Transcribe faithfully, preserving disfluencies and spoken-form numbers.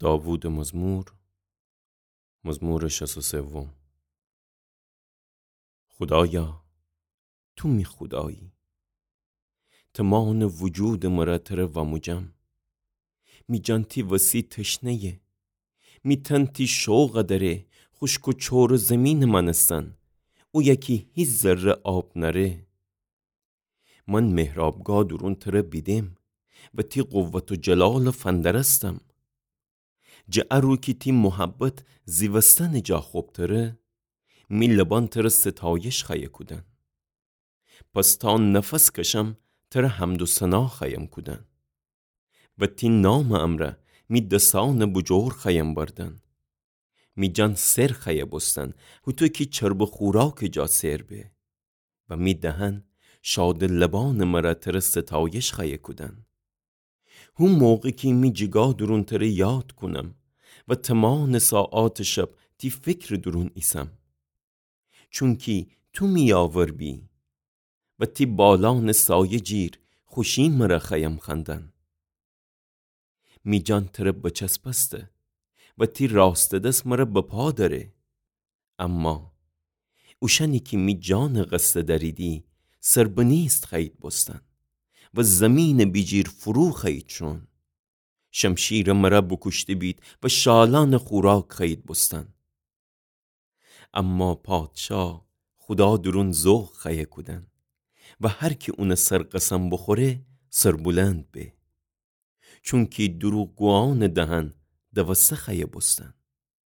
داوودٚ مزمور، مزمورٚ شصت و سوم. خودایا، تو می خودایی. تمانٚ وجودٚ مرا تره واموجم. می جان تی وسی تشنه‌یه. می تن تی شوق دره، خوشک و چورٚ زیمینٚ مأنستن، اویه کی هیچ ذره آب نأره. من محرابگاه دورون تره بیدم و تی قوت و جلال فندرستم. جٚه ا رو کی تی محبت زیوستنٚ جا خوبتره، می لبان تره ستایش خوأیه کودن. پس تا نفس کشم تره حمد و ثنا خوأیم کودن و تی نامٚ امرأ می دسأنٚ بوجور خوأیم بردن. می جان سر خوأیه بوستن، هوطو کی چربٚ خوراکٚ جا سر به. و می دهن شادٚ لبأنٚ مرا تره ستایش خوأیه کودن. هو موقع کی می جیگاه دورون تره یاد کونم و تمانٚ ساعاتٚ شب تی فکرٚ دورون ایسم. چونکی تو می یاور بی و تی بالأنٚ سایه جیر خوشی مرا خوأیم خوأندن. می جان تره بچسبسته و تی راستٚ دس مرا بپا دأره. اما اوشأنی کی می جانٚ قصد دأریدی، سربنیست خوأیید بوستن و زیمینٚ بیجیر فرو خوأیید شون. شمشیر مرا بوکوشته بید و شالأنٚ خوراک خوأیید بوستن. اما پادشاه خودا دورون ذوق خوأیه کودن و هر کی اونٚ سر قسم بوخوره، سربلند به. چونکی دروغگویأنٚ دهن دوسته خوأیه بوستن